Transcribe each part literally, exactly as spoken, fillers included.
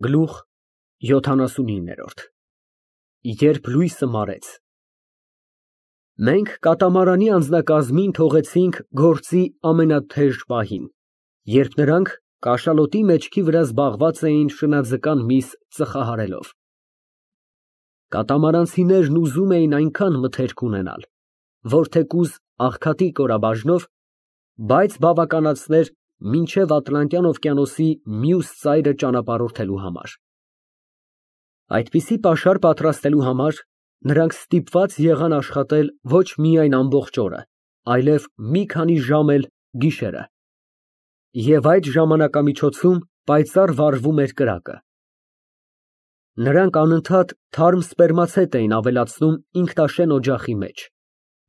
Գլուխ յոթանասունինը Երբ լույսը մարեց Մենք կատամարանի անձնակազմին թողեցինք գործի ամենաթեժ պահին, երբ նրանք կաշալոտի մեջքի վրա զբաղված էին շնաձկան միս ծխահարելով։ Կատամարանցիներն ուզում էին այնքան մթերք ունենալ, որ թեկուզ աղքատի կորաբաժնով, բայց բավականացներ մինչև Ատլանտյան օվկիանոսի մյուս ծայրը ճանապարհորդելու համար։ Այդպիսի պաշար պատրաստելու համար նրանք ստիպված եղան աշխատել ոչ միայն ամբողջ օրը, այլև մի քանի ժամ էլ գիշերը։ Եվ այդ ժամանակամիջոցում պայծառ վառվում էր կրակը։ Նրանք անընդհատ թարմ սպերմացետ էին ավելացնում ինքնաշեն օջախի մեջ,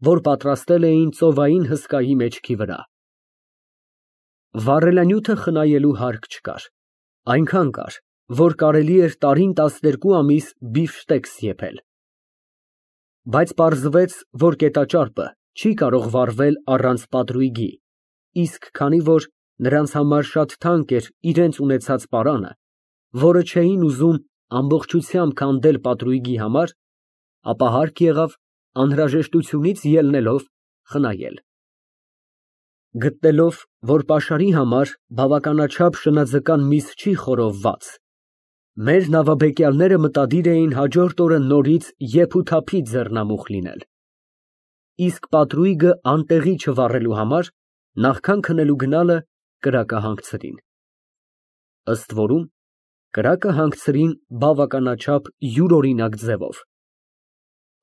որ պատրաստել էին ծովային հսկայի մեջքի վրա։ Վառելանյութը խնայելու հարկ չկար, այնքան կար, որ կարելի էր տարին տասներկու ամիս բիֆշտեքս եփել։ Բայց պարզվեց, որ կետաճարպը չի կարող վառվել առանց պատրույգի, իսկ քանի որ նրանց համար շատ թանկ էր իրենց ունեցած պարանը, որը չէին ուզում ամբողջությամբ քանդել պատրույգի համար, ապա հարկ եղավ անհրաժեշտությունից ելնելով խնայել։ Գտնելով, որ պաշարի համար բավականաչափ շնաձկան միս չի խորովված, մեր նավաբեկյալները մտադիր էին հաջորդ օրը նորից եփութափի ձեռնամուխ լինել, իսկ պատրույգը անտեղի չվառելու համար նախքան քնելու գնալը կրակը հանգցրին։ Ըստ որում, կրակը հանգցրին բավականաչափ յուրօրինակ ձևով։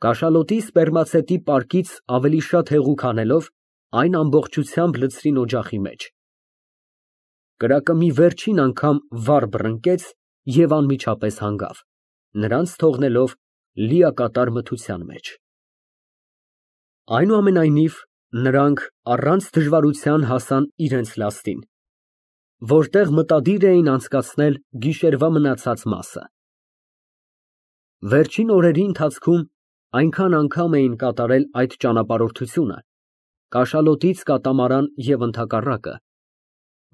Կաշալոտի սպերմացետի պարկից ավելի շատ հեղուկ անելով, այն ամբողջությամբ լցրին օջախի մեջ։ Կրակը մի վերջին անգամ վառ բռնկեց և անմիջապես հանգավ, նրանց թողնելով լիակատար մթության մեջ։ Այնուամենայնիվ, նրանք առանց դժվարության հասան իրենց լաստին, որտեղ մտադիր էին անցկացնել գիշերվա մնացած մասը։ Վերջին օրերի ընթացքում այնքան անգամ էին կատարել այդ ճանապարհորդությունը, կաշալոտից կատամարան և ընդհակառակը,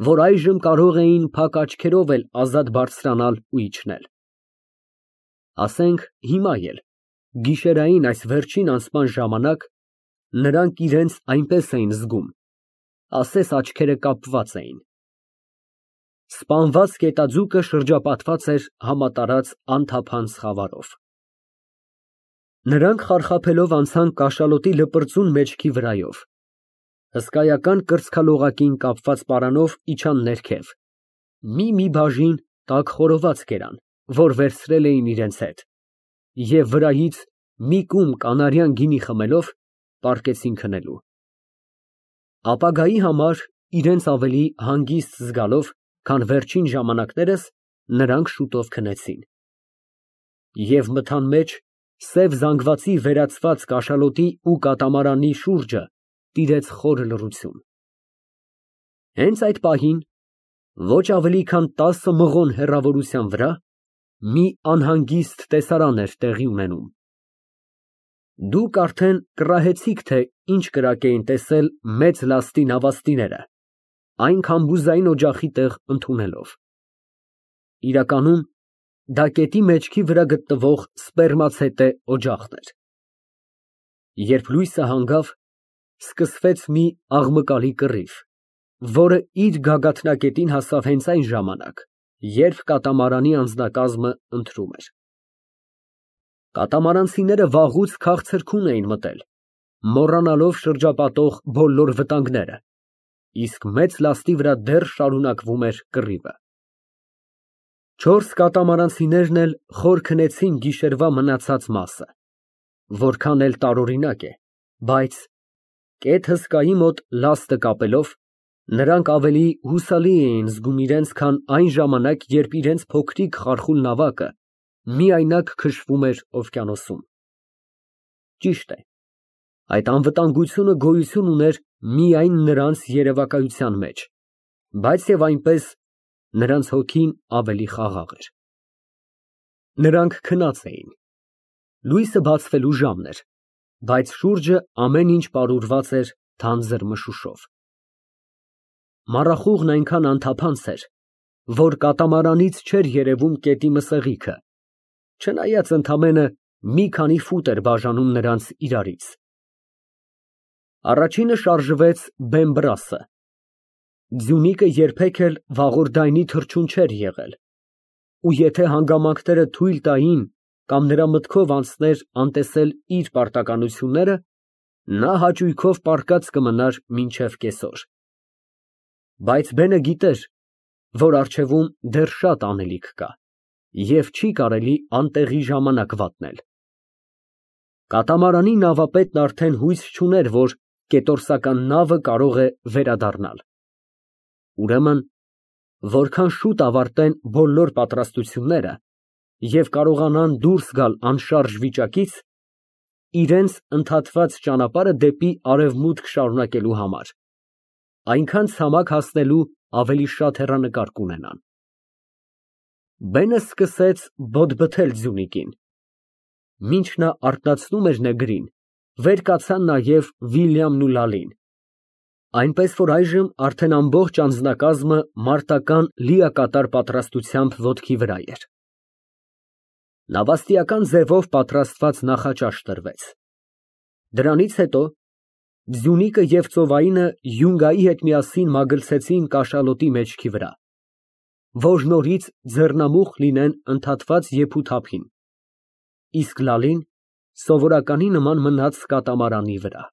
որ այժմ կարող էին փակ աչքերով էլ ազատ բարձրանալ ու իջնել։ Ասենք հիմա էլ, գիշերային այս վերջին անցման ժամանակ, նրանք իրենց այնպես էին զգում, ասես աչքերը կապված էին։ Սպանված գետաձուկը շրջապատված էր համատարած անթափանց խավարով։ Նրանք խարխափելով անցան կաշալոտի լպրծուն մեջքի վրայով, հսկայական կրծքալողակին կապված պարանով իջան ներքև, մի֊մի բաժին տաք խորոված կերան, որ վերցրել էին իրենց հետ, և վրայից մի կում կանարյան գինի խմելով, պառկեցին քնելու։ Ապագայի համար իրենց ավելի հանգիստ զգալով, քան վերջին ժամանակներս, նրանք շուտով քնեցին։ Եվ մթան մեջ սև զանգվածի վերածված կաշալոտի ու կատամարանի շուրջը տիրեց խոր լռություն։ Հենց այդ պահին, ոչ ավելի քան տասը մղոն հեռավորության վրա, մի անհանգիստ տեսարան էր տեղի ունենում։ Դուք արդեն կռահեցիք, թե ինչ կրակ էին տեսել մեծ լաստի նավաստիները, այն քամբուզային օջախի տեղ ընդունելով։ Իրականում, դա գետի մեջքի վրա գտնվող սպերմացետե օջախն էր։ Երբ լույսը հանգավ, սկսվեց մի աղմկալի կռիվ, որը իր գագաթնակետին հասավ հենց այն ժամանակ, երբ կատամարանի անձնակազմը ընթրում էր։ Կատամարանցիները վաղուց քաղցրքուն էին մտել, մոռանալով շրջապատող բոլոր վտանգները, իսկ մեծ լաստի վրա դեռ շարունակվում էր կռիվը։ Չորս կատամարանցիներն էլ խոր քնեցին գիշերվա մնացած մասը, որքան էլ տարօրինակ է, բայց, կետ հսկայի մոտ լաստը կապելով, նրանք ավելի հուսալի էին զգում իրենց, քան այն ժամանակ, երբ իրենց փոքրիկ խարխուլ նավակը միայնակ քշվում էր օվկիանոսում։ Ճիշտ է, այդ անվտանգությունը գոյություն ուներ միայն նրանց երևակայության մեջ, բայց և այնպես նրանց հոգին ավելի խաղաղ էր։ Նրանք քնած էին։ Լույսը բացվելու ժամն էր, բայց շուրջը ամեն ինչ պարուրված էր թանձր մշուշով։ Մառախուղն այնքան անթափանց էր, որ կատամարանից չէր երևում կետի մսեղիքը, չնայած ընդամենը մի քանի ֆուտ էր բաժանում նրանց իրարից։ Առաջինը շարժվեց Բեմբրասը։ Ձյունիկը երբեք էլ վաղորդայնի թռչուն չէր եղել, ու եթե հանգամանքները թույլ տային կամ նրա մտքով անցներ անտեսել իր պարտականությունները, նա հաճույքով պառկած կմնար մինչև կեսօր։ Բայց Բենը գիտեր, որ առջևում դեռ շատ անելիք կա, և չի կարելի անտեղի ժամանակ վատնել։ Կատամարանի նավապետն արդեն հույս չուներ, որ կետորսական նավը կարող է վերադառնալ։ Ուրեմն, որքան շուտ ավարտեն բոլոր պատրաստությունները և կարողանան դուրս գալ անշարժ վիճակից, իրենց ընդհատված ճանապարհը դեպի արևմուտք շարունակելու համար, այնքան ցամաք հասնելու ավելի շատ հեռանկար կունենան։ Բենը սկսեց բոդբթել ձյունիկին։ Մինչ նա արթնացնում էր նեգրին, վեր կացան նաև Վիլյամն ու Լալին, այնպես որ այժմ արդեն ամբողջ անձնակազմը մարտական լիակատար պատրաստությամբ ոտքի վրա էր։ Նավաստիական ձևով պատրաստված նախաճաշ տրվեց։ Դրանից հետո Ձյունիկը և ծովայինը յունգայի հետ միասին մագլցեցին կաշալոտի մեջքի վրա, որ նորից ձեռնամուխ լինեն ընդհատված եփութափին, իսկ Լալին սովորականի նման մնաց կատամարանի վրա։